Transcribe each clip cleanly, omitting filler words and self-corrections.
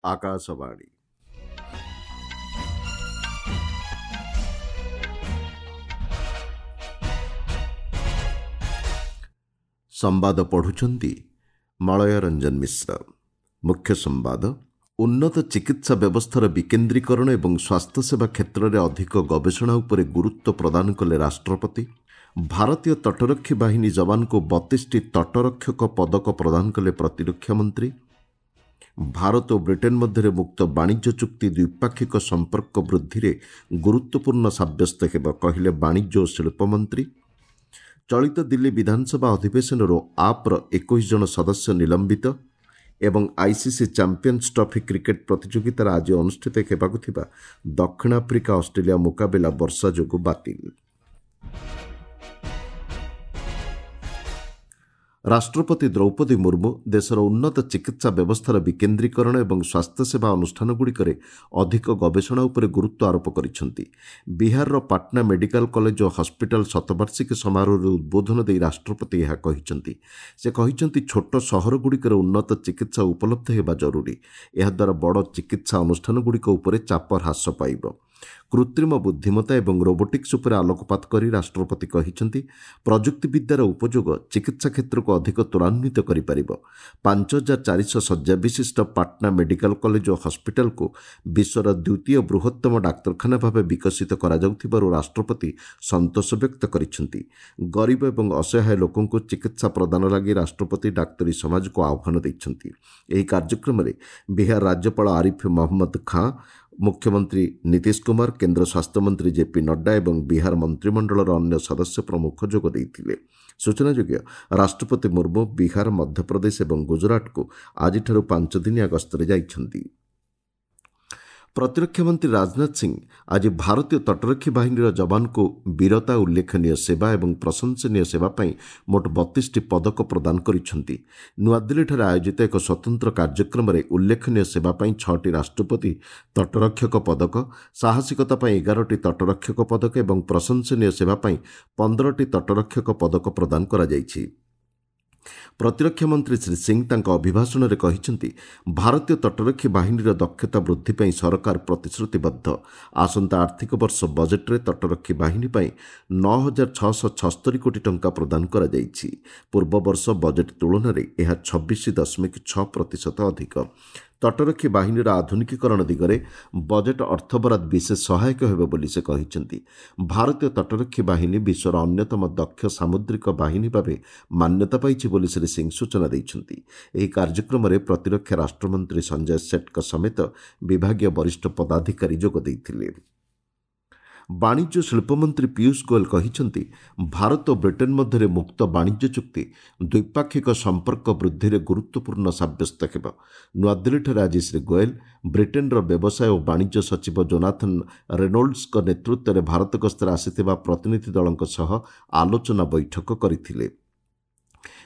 ଆକାଶବାଣୀ। ସମ୍ବାଦ ପଢ଼ୁଛନ୍ତି ମଳୟ ରଞ୍ଜନ ମିଶ୍ର। ମୁଖ୍ୟ ସମ୍ବାଦ। ଉନ୍ନତ ଚିକିତ୍ସା ବ୍ୟବସ୍ଥାର ବିକେନ୍ଦ୍ରୀକରଣ ଏବଂ ସ୍ୱାସ୍ଥ୍ୟସେବା କ୍ଷେତ୍ରରେ ଅଧିକ ଗବେଷଣା ଉପରେ ଗୁରୁତ୍ୱ ପ୍ରଦାନ କଲେ ରାଷ୍ଟ୍ରପତି। ଭାରତୀୟ ତଟରକ୍ଷୀ ବାହିନୀ ଯବାନଙ୍କୁ 32ଟି ତଟରକ୍ଷକ ପଦକ ପ୍ରଦାନ କଲେ ପ୍ରତିରକ୍ଷା ମନ୍ତ୍ରୀ। ଭାରତ ଓ ବ୍ରିଟେନ୍ ମଧ୍ୟରେ ମୁକ୍ତ ବାଣିଜ୍ୟ ଚୁକ୍ତି ଦ୍ୱିପାକ୍ଷିକ ସମ୍ପର୍କ ବୃଦ୍ଧିରେ ଗୁରୁତ୍ୱପୂର୍ଣ୍ଣ ସାବ୍ୟସ୍ତ ହେବ, କହିଲେ ବାଣିଜ୍ୟ ଓ ଶିଳ୍ପ ମନ୍ତ୍ରୀ। ଚଳିତ ଦିଲ୍ଲୀ ବିଧାନସଭା ଅଧିବେଶନରୁ ଆପ୍ର 21 ଜଣ ସଦସ୍ୟ ନିଲମ୍ବିତ। ଏବଂ ଆଇସିସି ଚାମ୍ପିୟନ୍ସ ଟ୍ରଫି କ୍ରିକେଟ୍ ପ୍ରତିଯୋଗିତାର ଆଜି ଅନୁଷ୍ଠିତ ହେବାକୁ ଥିବା ଦକ୍ଷିଣ ଆଫ୍ରିକା ଅଷ୍ଟ୍ରେଲିଆ ମୁକାବିଲା ବର୍ଷା ଯୋଗୁଁ ବାତିଲ। ରାଷ୍ଟ୍ରପତି ଦ୍ରୌପଦୀ ମୁର୍ମୁ ଦେଶର ଉନ୍ନତ ଚିକିତ୍ସା ବ୍ୟବସ୍ଥାର ବିକେନ୍ଦ୍ରୀକରଣ ଏବଂ ସ୍ୱାସ୍ଥ୍ୟସେବା ଅନୁଷ୍ଠାନଗୁଡ଼ିକରେ ଅଧିକ ଗବେଷଣା ଉପରେ ଗୁରୁତ୍ୱ ଆରୋପ କରିଛନ୍ତି। ବିହାରର ପାଟନା ମେଡିକାଲ କଲେଜ ଓ ହସ୍ପିଟାଲ ଶତବାର୍ଷିକୀ ସମାରୋହରେ ଉଦ୍ବୋଧନ ଦେଇ ରାଷ୍ଟ୍ରପତି ଏହା କହିଛନ୍ତି। ସେ କହିଛନ୍ତି, ଛୋଟ ସହରଗୁଡ଼ିକରେ ଉନ୍ନତ ଚିକିତ୍ସା ଉପଲବ୍ଧ ହେବା ଜରୁରୀ। ଏହାଦ୍ୱାରା ବଡ଼ ଚିକିତ୍ସା ଅନୁଷ୍ଠାନଗୁଡ଼ିକ ଉପରେ ଚାପ ହ୍ରାସ ପାଇବ। କୃତ୍ରିମ ବୁଦ୍ଧିମତ୍ତା ଏବଂ ରୋବୋଟିକ୍ସ ଉପରେ ଆଲୋକପାତ କରି ରାଷ୍ଟ୍ରପତି କହିଛନ୍ତି, ପ୍ରଯୁକ୍ତିବିଦ୍ୟାର ଉପଯୋଗ ଚିକିତ୍ସା କ୍ଷେତ୍ରକୁ ଅଧିକ ତ୍ୱରାନ୍ୱିତ କରିପାରିବ। 5400 ଶଯ୍ୟା ବିଶିଷ୍ଟ ପାଟନା ମେଡିକାଲ କଲେଜ ଓ ହସ୍ପିଟାଲକୁ ବିଶ୍ୱର ଦ୍ୱିତୀୟ ବୃହତ୍ତମ ଡାକ୍ତରଖାନା ଭାବେ ବିକଶିତ କରାଯାଉଥିବାରୁ ରାଷ୍ଟ୍ରପତି ସନ୍ତୋଷ ବ୍ୟକ୍ତ କରିଛନ୍ତି। ଗରିବ ଏବଂ ଅସହାୟ ଲୋକଙ୍କୁ ଚିକିତ୍ସା ପ୍ରଦାନ ଲାଗି ରାଷ୍ଟ୍ରପତି ଡାକ୍ତରୀ ସମାଜକୁ ଆହ୍ୱାନ ଦେଇଛନ୍ତି। ଏହି କାର୍ଯ୍ୟକ୍ରମରେ ବିହାର ରାଜ୍ୟପାଳ ଆରିଫ ମହମ୍ମଦ ଖାଁ, ମୁଖ୍ୟମନ୍ତ୍ରୀ ନୀତିଶ କୁମାର, କେନ୍ଦ୍ର ସ୍ୱାସ୍ଥ୍ୟମନ୍ତ୍ରୀ ଜେପି ନଡ୍ଡା ଏବଂ ବିହାର ମନ୍ତ୍ରିମଣ୍ଡଳର ଅନ୍ୟ ସଦସ୍ୟ ପ୍ରମୁଖ ଯୋଗ ଦେଇଥିଲେ। ସୂଚନାଯୋଗ୍ୟ, ରାଷ୍ଟ୍ରପତି ମୁର୍ମୁ ବିହାର, ମଧ୍ୟପ୍ରଦେଶ ଏବଂ ଗୁଜରାଟକୁ ଆଜିଠାରୁ 5 ଦିନିଆ ଗସ୍ତରେ ଯାଇଛନ୍ତି। ପ୍ରତିରକ୍ଷା ମନ୍ତ୍ରୀ ରାଜନାଥ ସିଂ ଆଜି ଭାରତୀୟ ତଟରକ୍ଷୀ ବାହିନୀର ଯବାନଙ୍କୁ ବୀରତା, ଉଲ୍ଲେଖନୀୟ ସେବା ଏବଂ ପ୍ରଶଂସନୀୟ ସେବା ପାଇଁ ମୋଟ 32ଟି ପଦକ ପ୍ରଦାନ କରିଛନ୍ତି। ନୂଆଦିଲ୍ଲୀଠାରେ ଆୟୋଜିତ ଏକ ସ୍ୱତନ୍ତ୍ର କାର୍ଯ୍ୟକ୍ରମରେ ଉଲ୍ଲେଖନୀୟ ସେବା ପାଇଁ 6ଟି ରାଷ୍ଟ୍ରପତି ତଟରକ୍ଷକ ପଦକ, ସାହସିକତା ପାଇଁ 11ଟି ତଟରକ୍ଷକ ପଦକ ଏବଂ ପ୍ରଶଂସନୀୟ ସେବା ପାଇଁ 15ଟି ତଟରକ୍ଷକ ପଦକ ପ୍ରଦାନ କରାଯାଇଛି। ପ୍ରତିରକ୍ଷା ମନ୍ତ୍ରୀ ଶ୍ରୀ ସିଂ ତାଙ୍କ ଅଭିଭାଷଣରେ କହିଛନ୍ତି, ଭାରତୀୟ ତଟରକ୍ଷୀ ବାହିନୀର ଦକ୍ଷତା ବୃଦ୍ଧି ପାଇଁ ସରକାର ପ୍ରତିଶ୍ରୁତିବଦ୍ଧ। ଆସନ୍ତା ଆର୍ଥିକ ବର୍ଷ ବଜେଟ୍ରେ ତଟରକ୍ଷୀ ବାହିନୀ ପାଇଁ 9676 କୋଟି ଟଙ୍କା ପ୍ରଦାନ କରାଯାଇଛି। ପୂର୍ବବର୍ଷ ବଜେଟ୍ ତୁଳନାରେ ଏହା 26.6 ପ୍ରତିଶତ ଅଧିକ। ତଟରକ୍ଷୀ ବାହିନୀର ଆଧୁନିକୀକରଣ ଦିଗରେ ବଜେଟ୍ ଅର୍ଥବରାଦ ବିଶେଷ ସହାୟକ ହେବ ବୋଲି ସେ କହିଛନ୍ତି। ଭାରତୀୟ ତଟରକ୍ଷୀ ବାହିନୀ ବିଶ୍ୱର ଅନ୍ୟତମ ଦକ୍ଷ ସାମୁଦ୍ରିକ ବାହିନୀ ଭାବେ ମାନ୍ୟତା ପାଇଛି ବୋଲି ଶ୍ରୀ ସିଂ ସୂଚନା ଦେଇଛନ୍ତି। ଏହି କାର୍ଯ୍ୟକ୍ରମରେ ପ୍ରତିରକ୍ଷା ରାଷ୍ଟ୍ରମନ୍ତ୍ରୀ ସଞ୍ଜୟ ସେଠଙ୍କ ସମେତ ବିଭାଗୀୟ ବରିଷ୍ଠ ପଦାଧିକାରୀ ଯୋଗ ଦେଇଥିଲେ। ବାଣିଜ୍ୟ ଶିଳ୍ପମନ୍ତ୍ରୀ ପୀୟୁଷ ଗୋଏଲ କହିଛନ୍ତି, ଭାରତ ଓ ବ୍ରିଟେନ୍ ମଧ୍ୟରେ ମୁକ୍ତ ବାଣିଜ୍ୟ ଚୁକ୍ତି ଦ୍ୱିପାକ୍ଷିକ ସମ୍ପର୍କ ବୃଦ୍ଧିରେ ଗୁରୁତ୍ୱପୂର୍ଣ୍ଣ ସାବ୍ୟସ୍ତ ହେବ। ନୂଆଦିଲ୍ଲୀଠାରେ ଆଜି ଶ୍ରୀ ଗୋଏଲ ବ୍ରିଟେନ୍ର ବ୍ୟବସାୟ ଓ ବାଣିଜ୍ୟ ସଚିବ ଜୋନାଥନ୍ ରେନୋଲ୍ଡସଙ୍କ ନେତୃତ୍ୱରେ ଭାରତ ଗସ୍ତରେ ଆସିଥିବା ପ୍ରତିନିଧି ଦଳଙ୍କ ସହ ଆଲୋଚନା ବୈଠକ କରିଥିଲେ।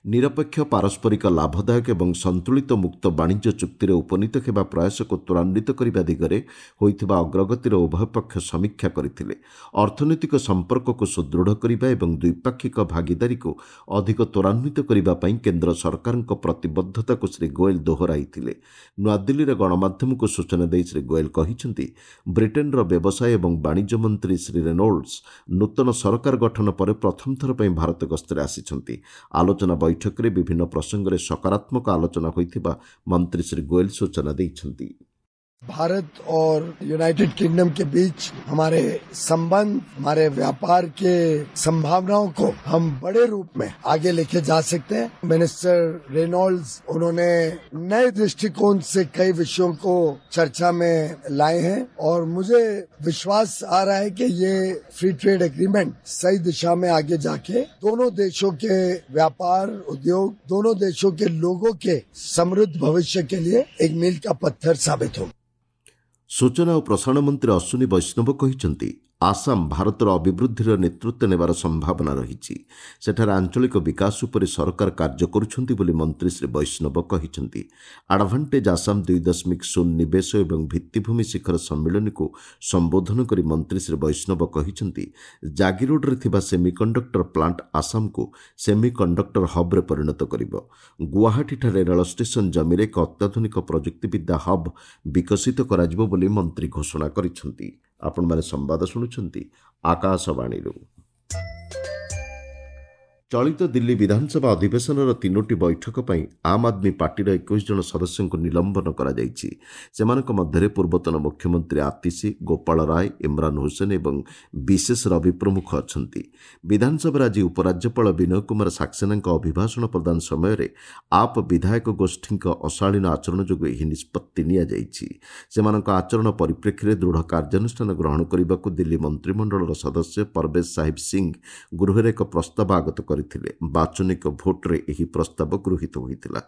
ନିରପେକ୍ଷ, ପାରସ୍ପରିକ ଲାଭଦାୟକ ଏବଂ ସନ୍ତୁଳିତ ମୁକ୍ତ ବାଣିଜ୍ୟ ଚୁକ୍ତିରେ ଉପନୀତ ହେବା ପ୍ରୟାସକୁ ତ୍ୱରାନ୍ୱିତ କରିବା ଦିଗରେ ହୋଇଥିବା ଅଗ୍ରଗତିର ଉଭୟ ପକ୍ଷ ସମୀକ୍ଷା କରିଥିଲେ। ଅର୍ଥନୈତିକ ସମ୍ପର୍କକୁ ସୁଦୃଢ଼ କରିବା ଏବଂ ଦ୍ୱିପାକ୍ଷିକ ଭାଗିଦାରୀକୁ ଅଧିକ ତ୍ୱରାନ୍ୱିତ କରିବା ପାଇଁ କେନ୍ଦ୍ର ସରକାରଙ୍କ ପ୍ରତିବଦ୍ଧତାକୁ ଶ୍ରୀ ଗୋଏଲ ଦୋହରାଇଥିଲେ। ନୂଆଦିଲ୍ଲୀରେ ଗଣମାଧ୍ୟମକୁ ସୂଚନା ଦେଇ ଶ୍ରୀ ଗୋଏଲ କହିଛନ୍ତି, ବ୍ରିଟେନ୍ର ବ୍ୟବସାୟ ଏବଂ ବାଣିଜ୍ୟ ମନ୍ତ୍ରୀ ଶ୍ରୀ ରେନୋଲ୍ଡସ ନୂତନ ସରକାର ଗଠନ ପରେ ପ୍ରଥମ ଥର ପାଇଁ ଭାରତ ଗସ୍ତରେ ଆସିଛନ୍ତି। ଆଲୋଚନା ବୈଠକରେ ବିଭିନ୍ନ ପ୍ରସଙ୍ଗରେ ସକାରାତ୍ମକ ଆଲୋଚନା ହୋଇଥିବା ମନ୍ତ୍ରୀ ଶ୍ରୀ ଗୋଏଲ ସୂଚନା ଦେଇଛନ୍ତି। भारत और यूनाइटेड किंगडम के बीच हमारे संबंध, हमारे व्यापार के संभावनाओं को हम बड़े रूप में आगे लेके जा सकते हैं। मिनिस्टर रेनॉल्ड्स, उन्होंने नए दृष्टिकोण से कई विषयों को चर्चा में लाए हैं और मुझे विश्वास आ रहा है कि ये फ्री ट्रेड एग्रीमेंट सही दिशा में आगे जाके दोनों देशों के व्यापार, उद्योग, दोनों देशों के लोगों के समृद्ध भविष्य के लिए एक मील का पत्थर साबित होगा। ସୂଚନା ଓ ପ୍ରସାରଣ ମନ୍ତ୍ରୀ ଅଶ୍ୱିନୀ ବୈଷ୍ଣବ କହିଛନ୍ତି, ଆସାମ ଭାରତର ଅଭିବୃଦ୍ଧିର ନେତୃତ୍ୱ ନେବାର ସମ୍ଭାବନା ରହିଛି। ସେଠାରେ ଆଞ୍ଚଳିକ ବିକାଶ ଉପରେ ସରକାର କାର୍ଯ୍ୟ କରୁଛନ୍ତି ବୋଲି ମନ୍ତ୍ରୀ ଶ୍ରୀ ବୈଷ୍ଣବ କହିଛନ୍ତି। ଆଡଭାଣ୍ଟେଜ୍ ଆସାମ 2.0 ନିବେଶ ଏବଂ ଭିତ୍ତିଭୂମି ଶିଖର ସମ୍ମିଳନୀକୁ ସମ୍ବୋଧନ କରି ମନ୍ତ୍ରୀ ଶ୍ରୀ ବୈଷ୍ଣବ କହିଛନ୍ତି, ଜାଗିରୋଡରେ ଥିବା ସେମିକଣ୍ଡକ୍ଟର ପ୍ଲାଣ୍ଟ ଆସାମକୁ ସେମିକଣ୍ଡକ୍ଟର ହବ୍ରେ ପରିଣତ କରିବ। ଗୁଆହାଟୀଠାରେ ରେଳ ଷ୍ଟେସନ ଜମିରେ ଏକ ଅତ୍ୟାଧୁନିକ ପ୍ରଯୁକ୍ତିବିଦ୍ୟା ହବ୍ ବିକଶିତ କରାଯିବ ବୋଲି ମନ୍ତ୍ରୀ ଘୋଷଣା କରିଛନ୍ତି। ଆପଣମାନେ ସମ୍ବାଦ ଶୁଣୁଛନ୍ତି ଆକାଶବାଣୀରୁ। ଚଳିତ ଦିଲ୍ଲୀ ବିଧାନସଭା ଅଧିବେଶନର 3ଟି ବୈଠକ ପାଇଁ ଆମ୍ ଆଦମୀ ପାର୍ଟିର 21 ଜଣ ସଦସ୍ୟଙ୍କୁ ନିଲମ୍ବନ କରାଯାଇଛି। ସେମାନଙ୍କ ମଧ୍ୟରେ ପୂର୍ବତନ ମୁଖ୍ୟମନ୍ତ୍ରୀ ଆତିଶୀ, ଗୋପାଳ ରାୟ, ଇମ୍ରାନ ହୁସେନ ଏବଂ ବିଶେଷ ରବି ପ୍ରମୁଖ ଅଛନ୍ତି। ବିଧାନସଭାରେ ଆଜି ଉପରାଜ୍ୟପାଳ ବିନୟ କୁମାର ସାକ୍ସେନାଙ୍କ ଅଭିଭାଷଣ ପ୍ରଦାନ ସମୟରେ ଆପ୍ ବିଧାୟକ ଗୋଷ୍ଠୀଙ୍କ ଅଶାଳୀନ ଆଚରଣ ଯୋଗୁଁ ଏହି ନିଷ୍ପତ୍ତି ନିଆଯାଇଛି। ସେମାନଙ୍କ ଆଚରଣ ପରିପ୍ରେକ୍ଷୀରେ ଦୃଢ଼ କାର୍ଯ୍ୟାନୁଷ୍ଠାନ ଗ୍ରହଣ କରିବାକୁ ଦିଲ୍ଲୀ ମନ୍ତ୍ରିମଣ୍ଡଳର ସଦସ୍ୟ ପରବେଶ ସାହିବ ସିଂ ଗୃହରେ ଏକ ପ୍ରସ୍ତାବ ଆଗତ କରିଥିଲେ। ବାଚନିକ ଭୋଟ୍ରେ ଏହି ପ୍ରସ୍ତାବ ଗୃହୀତ ହୋଇଥିଲା।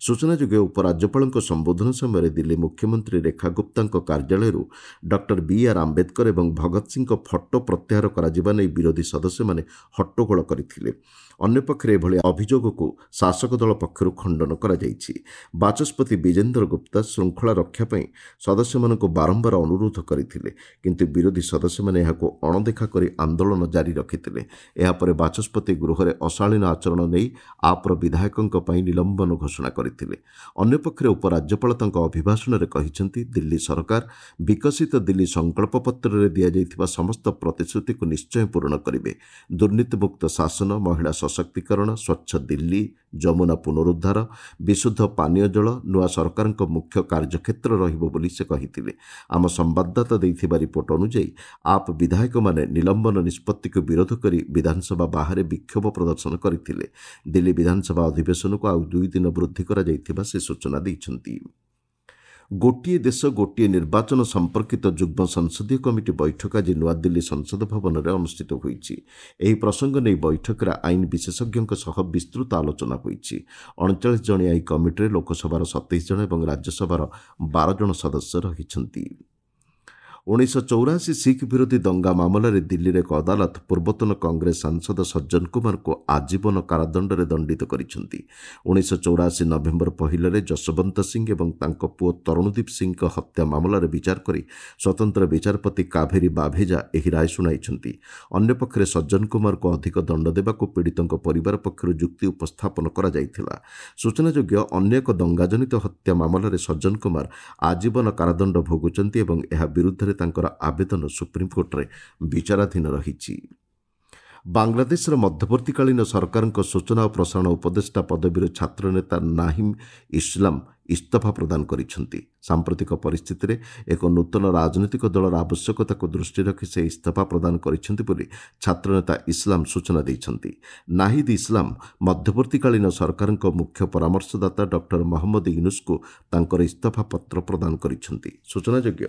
ସୂଚନାଯୋଗ୍ୟ, ଉପରାଜ୍ୟପାଳଙ୍କ ସମ୍ବୋଧନ ସମୟରେ ଦିଲ୍ଲୀ ମୁଖ୍ୟମନ୍ତ୍ରୀ ରେଖା ଗୁପ୍ତାଙ୍କ କାର୍ଯ୍ୟାଳୟରୁ ଡକ୍ଟର ବି ଆର୍ ଆମ୍ବେଦକର ଏବଂ ଭଗତ ସିଂଙ୍କ ଫଟୋ ପ୍ରତ୍ୟାହାର କରାଯିବା ନେଇ ବିରୋଧୀ ସଦସ୍ୟମାନେ ହଟ୍ଟଗୋଳ କରିଥିଲେ। ଅନ୍ୟପକ୍ଷରେ ଏଭଳି ଅଭିଯୋଗକୁ ଶାସକ ଦଳ ପକ୍ଷରୁ ଖଣ୍ଡନ କରାଯାଇଛି। ବାଚସ୍ପତି ବିଜେନ୍ଦ୍ର ଗୁପ୍ତା ଶୃଙ୍ଖଳା ରକ୍ଷା ପାଇଁ ସଦସ୍ୟମାନଙ୍କୁ ବାରମ୍ବାର ଅନୁରୋଧ କରିଥିଲେ, କିନ୍ତୁ ବିରୋଧୀ ସଦସ୍ୟମାନେ ଏହାକୁ ଅଣଦେଖା କରି ଆନ୍ଦୋଳନ ଜାରି ରଖିଥିଲେ। ଏହାପରେ ବାଚସ୍ପତି ଗୃହରେ ଅଶାଳୀନ ଆଚରଣ ନେଇ ଆପ୍ର ବିଧାୟକଙ୍କ ପାଇଁ ନିଲମ୍ବନ ଘୋଷଣା କରିଥିଲେ। ଅନ୍ୟପକ୍ଷରେ ଉପରାଜ୍ୟପାଳ ତାଙ୍କ ଅଭିଭାଷଣରେ କହିଛନ୍ତି, ଦିଲ୍ଲୀ ସରକାର ବିକଶିତ ଦିଲ୍ଲୀ ସଂକଳ୍ପ ପତ୍ରରେ ଦିଆଯାଇଥିବା ସମସ୍ତ ପ୍ରତିଶ୍ରୁତିକୁ ନିଶ୍ଚୟ ପୂରଣ କରିବେ। ଦୁର୍ନୀତିମୁକ୍ତ ଶାସନ, ମହିଳା ସଶକ୍ତିକରଣ, ସ୍ୱଚ୍ଛ ଦିଲ୍ଲୀ, ଯମୁନା ପୁନରୁଦ୍ଧାର, ବିଶୁଦ୍ଧ ପାନୀୟ ଜଳ ନୂଆ ସରକାରଙ୍କ ମୁଖ୍ୟ କାର୍ଯ୍ୟକ୍ଷେତ୍ର ରହିବ ବୋଲି ସେ କହିଥିଲେ। ଆମ ସମ୍ବାଦଦାତା ଦେଇଥିବା ରିପୋର୍ଟ ଅନୁଯାୟୀ ଆପ୍ ବିଧାୟକମାନେ ନିଲମ୍ବନ ନିଷ୍ପତ୍ତିକୁ ବିରୋଧ କରି ବିଧାନସଭା ବାହାରେ ବିକ୍ଷୋଭ ପ୍ରଦର୍ଶନ କରିଥିଲେ। ଦିଲ୍ଲୀ ବିଧାନସଭା ଅଧିବେଶନକୁ ଆଉ 2 ଦିନ ବୃଦ୍ଧି କରାଯାଇଥିବା ସେ ସୂଚନା ଦେଇଛନ୍ତି। ଗୋଟିଏ ଦେଶ ଗୋଟିଏ ନିର୍ବାଚନ ସମ୍ପର୍କିତ ଯୁଗ୍ମ ସଂସଦୀୟ କମିଟି ବୈଠକ ଆଜି ନୂଆଦିଲ୍ଲୀ ସଂସଦ ଭବନରେ ଅନୁଷ୍ଠିତ ହୋଇଛି। ଏହି ପ୍ରସଙ୍ଗ ନେଇ ବୈଠକରେ ଆଇନ ବିଶେଷଜ୍ଞଙ୍କ ସହ ବିସ୍ତୃତ ଆଲୋଚନା ହୋଇଛି। 39 ଜଣିଆ ଏହି କମିଟିରେ ଲୋକସଭାର 27 ଜଣ ଏବଂ ରାଜ୍ୟସଭାର 12 ଜଣ ସଦସ୍ୟ ରହିଛନ୍ତି। 1984 ଶିଖ୍ ବିରୋଧୀ ଦଙ୍ଗା ମାମଲାରେ ଦିଲ୍ଲୀର ଏକ ଅଦାଲତ ପୂର୍ବତନ କଂଗ୍ରେସ ସାଂସଦ ସଜ୍ଜନ କୁମାରଙ୍କୁ ଆଜୀବନ କାରାଦଣ୍ଡରେ ଦଣ୍ଡିତ କରିଛନ୍ତି। 1984 ନଭେମ୍ବର 1ରେ ଯଶବନ୍ତ ସିଂ ଏବଂ ତାଙ୍କ ପୁଅ ତରୁଣଦୀପ ସିଂଙ୍କ ହତ୍ୟା ମାମଲାରେ ବିଚାର କରି ସ୍ୱତନ୍ତ୍ର ବିଚାରପତି କାଭେରୀ ବାଭେଜା ଏହି ରାୟ ଶୁଣାଇଛନ୍ତି। ଅନ୍ୟପକ୍ଷରେ ସଜ୍ଜନ କୁମାରଙ୍କୁ ଅଧିକ ଦଣ୍ଡ ଦେବାକୁ ପୀଡ଼ିତଙ୍କ ପରିବାର ପକ୍ଷରୁ ଯୁକ୍ତି ଉପସ୍ଥାପନ କରାଯାଇଥିଲା। ସୂଚନାଯୋଗ୍ୟ, ଅନ୍ୟ ଏକ ଦଙ୍ଗାଜନିତ ହତ୍ୟା ମାମଲାରେ ସଜ୍ଜନ କୁମାର ଆଜୀବନ କାରାଦଣ୍ଡ ଭୋଗୁଛନ୍ତି ଏବଂ ଏହା ବିରୁଦ୍ଧରେ ତାଙ୍କର ଆବେଦନ ସୁପ୍ରିମକୋର୍ଟରେ ବିଚାରାଧୀନ ରହିଛି। ବାଂଲାଦେଶର ମଧ୍ୟବର୍ତ୍ତୀକାଳୀନ ସରକାରଙ୍କ ସୂଚନା ଓ ପ୍ରସାରଣ ଉପଦେଷ୍ଟା ପଦବୀରୁ ଛାତ୍ରନେତା ନାହିମ ଇସଲାମ ଇସ୍ତଫା ପ୍ରଦାନ କରିଛନ୍ତି। ସାମ୍ପ୍ରତିକ ପରିସ୍ଥିତିରେ ଏକ ନୂତନ ରାଜନୈତିକ ଦଳର ଆବଶ୍ୟକତାକୁ ଦୃଷ୍ଟିରେ ରଖି ସେ ଇସ୍ତଫା ପ୍ରଦାନ କରିଛନ୍ତି ବୋଲି ଛାତ୍ରନେତା ଇସଲାମ ସୂଚନା ଦେଇଛନ୍ତି। ନାହିଦ ଇସଲାମ ମଧ୍ୟବର୍ତ୍ତୀକାଳୀନ ସରକାରଙ୍କ ମୁଖ୍ୟ ପରାମର୍ଶଦାତା ଡକ୍ଟର ମହମ୍ମଦ ୟୁନୁସଙ୍କୁ ତାଙ୍କର ଇସ୍ତଫା ପତ୍ର ପ୍ରଦାନ କରିଛନ୍ତି। ସୂଚନାଯୋଗ୍ୟ,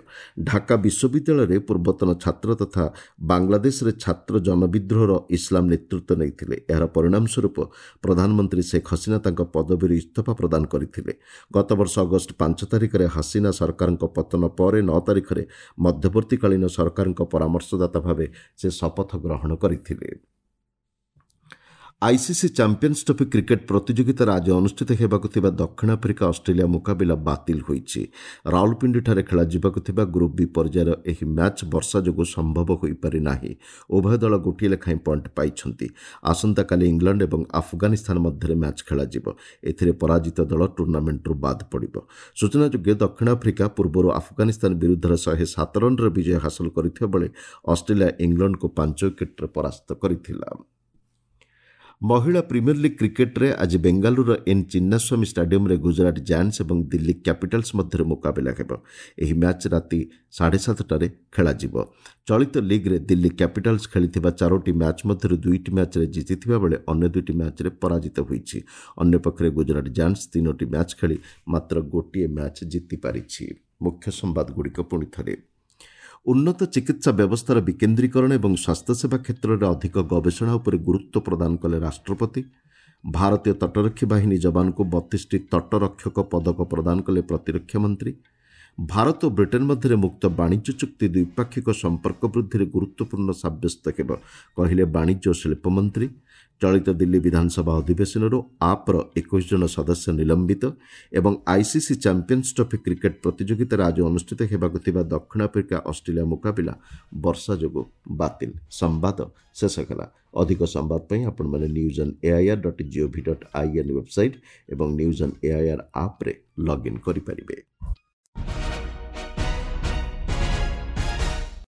ଢାକା ବିଶ୍ୱବିଦ୍ୟାଳୟରେ ପୂର୍ବତନ ଛାତ୍ର ତଥା ବାଂଲାଦେଶରେ ଛାତ୍ର ଜନବିଦ୍ରୋହର ଇସଲାମ ନେତୃତ୍ୱ ନେଇଥିଲେ। ଏହାର ପରିଣାମ ସ୍ୱରୂପ ପ୍ରଧାନମନ୍ତ୍ରୀ ଶେଖ୍ ହସିନା ତାଙ୍କ ପଦବୀରୁ ଇସ୍ତଫା ପ୍ରଦାନ କରିଥିଲେ। ଗତବର୍ଷ ଅଗଷ୍ଟ 5 ତାରିଖରେ ହସିନା ସରକାରଙ୍କ ପତନ ପରେ 9 ତାରିଖରେ ମଧ୍ୟବର୍ତ୍ତୀକାଳୀନ ସରକାରଙ୍କ ପରାମର୍ଶଦାତା ଭାବେ ସେ ଶପଥ ଗ୍ରହଣ କରିଥିଲେ। ଆଇସିସି ଚାମ୍ପିୟନ୍ସ ଟ୍ରଫି କ୍ରିକେଟ୍ ପ୍ରତିଯୋଗିତାରେ ଆଜି ଅନୁଷ୍ଠିତ ହେବାକୁ ଥିବା ଦକ୍ଷିଣ ଆଫ୍ରିକା ଅଷ୍ଟ୍ରେଲିଆ ମୁକାବିଲା ବାତିଲ ହୋଇଛି। ରାଉଲପିଣ୍ଡିଠାରେ ଖେଳାଯିବାକୁ ଥିବା ଗ୍ରୁପ୍ ବି ପର୍ଯ୍ୟାୟର ଏହି ମ୍ୟାଚ୍ ବର୍ଷା ଯୋଗୁଁ ସମ୍ଭବ ହୋଇପାରି ନାହିଁ। ଉଭୟ ଦଳ ଗୋଟିଏ ଲେଖାଏଁ ପଏଣ୍ଟ ପାଇଛନ୍ତି। ଆସନ୍ତାକାଲି ଇଂଲଣ୍ଡ ଏବଂ ଆଫଗାନିସ୍ତାନ ମଧ୍ୟରେ ମ୍ୟାଚ୍ ଖେଳାଯିବ। ଏଥିରେ ପରାଜିତ ଦଳ ଟୁର୍ଣ୍ଣାମେଣ୍ଟରୁ ବାଦ୍ ପଡ଼ିବ। ସୂଚନାଯୋଗ୍ୟ, ଦକ୍ଷିଣ ଆଫ୍ରିକା ପୂର୍ବରୁ ଆଫଗାନିସ୍ତାନ ବିରୁଦ୍ଧରେ 107 ରନ୍ର ବିଜୟ ହାସଲ କରିଥିବା ବେଳେ ଅଷ୍ଟ୍ରେଲିଆ ଇଂଲଣ୍ଡକୁ 5 ୱିକେଟ୍ରେ ପରାସ୍ତ କରିଥିଲା। ମହିଳା ପ୍ରିମିୟର ଲିଗ୍ କ୍ରିକେଟ୍ରେ ଆଜି ବେଙ୍ଗାଲୁରୁର ଏନ୍ ଚିନ୍ନାସ୍ୱାମୀ ଷ୍ଟାଡିୟମ୍ରେ ଗୁଜରାଟ ଜାୟାଣ୍ଟସ୍ ଏବଂ ଦିଲ୍ଲୀ କ୍ୟାପିଟାଲ୍ସ ମଧ୍ୟରେ ମୁକାବିଲା ହେବ। ଏହି ମ୍ୟାଚ୍ ରାତି 7:30ରେ ଖେଳାଯିବ। ଚଳିତ ଲିଗ୍ରେ ଦିଲ୍ଲୀ କ୍ୟାପିଟାଲ୍ସ ଖେଳିଥିବା 4ଟି ମ୍ୟାଚ୍ ମଧ୍ୟରୁ 2ଟି ମ୍ୟାଚ୍ରେ ଜିତିଥିବା ବେଳେ ଅନ୍ୟ 2ଟି ମ୍ୟାଚ୍ରେ ପରାଜିତ ହୋଇଛି। ଅନ୍ୟପକ୍ଷରେ ଗୁଜରାଟ ଜାୟାଣ୍ଟସ୍ 3ଟି ମ୍ୟାଚ୍ ଖେଳି ମାତ୍ର ଗୋଟିଏ ମ୍ୟାଚ୍ ଜିତିପାରିଛି। ମୁଖ୍ୟ ସମ୍ବାଦଗୁଡ଼ିକ ପୁଣି ଥରେ। ଉନ୍ନତ ଚିକିତ୍ସା ବ୍ୟବସ୍ଥାର ବିକେନ୍ଦ୍ରୀକରଣ ଏବଂ ସ୍ୱାସ୍ଥ୍ୟସେବା କ୍ଷେତ୍ରରେ ଅଧିକ ଗବେଷଣା ଉପରେ ଗୁରୁତ୍ୱ ପ୍ରଦାନ କଲେ ରାଷ୍ଟ୍ରପତି। ଭାରତୀୟ ତଟରକ୍ଷୀ ବାହିନୀ ଯବାନଙ୍କୁ 32ଟି ତଟରକ୍ଷକ ପଦକ ପ୍ରଦାନ କଲେ ପ୍ରତିରକ୍ଷା ମନ୍ତ୍ରୀ। ଭାରତ ଓ ବ୍ରିଟେନ୍ ମଧ୍ୟରେ ମୁକ୍ତ ବାଣିଜ୍ୟ ଚୁକ୍ତି ଦ୍ୱିପାକ୍ଷିକ ସମ୍ପର୍କ ବୃଦ୍ଧିରେ ଗୁରୁତ୍ୱପୂର୍ଣ୍ଣ ସାବ୍ୟସ୍ତ ହେବ, କହିଲେ ବାଣିଜ୍ୟ ଓ ଶିଳ୍ପ ମନ୍ତ୍ରୀ। ଚଳିତ ଦିଲ୍ଲୀ ବିଧାନସଭା ଅଧିବେଶନରୁ ଆପ୍ର 21 ଜଣ ସଦସ୍ୟ ନିଲମ୍ବିତ ଏବଂ ଆଇସିସି ଚାମ୍ପିୟନ୍ସ ଟ୍ରଫି କ୍ରିକେଟ୍ ପ୍ରତିଯୋଗିତାରେ ଆଜି ଅନୁଷ୍ଠିତ ହେବାକୁ ଥିବା ଦକ୍ଷିଣ ଆଫ୍ରିକା ଅଷ୍ଟ୍ରେଲିଆ ମୁକାବିଲା ବର୍ଷା ଯୋଗୁଁ ବାତିଲ। ସମ୍ବାଦ ଶେଷ ହେଲା। ଅଧିକ ସମ୍ବାଦ ପାଇଁ ଆପଣମାନେ news on AIR dot GOV dot IN website ଏବଂ ନ୍ୟୁଜ୍ ଅନ୍ ଏଆଇଆର୍ ଆପ୍ରେ ଲଗ୍ଇନ୍ କରିପାରିବେ।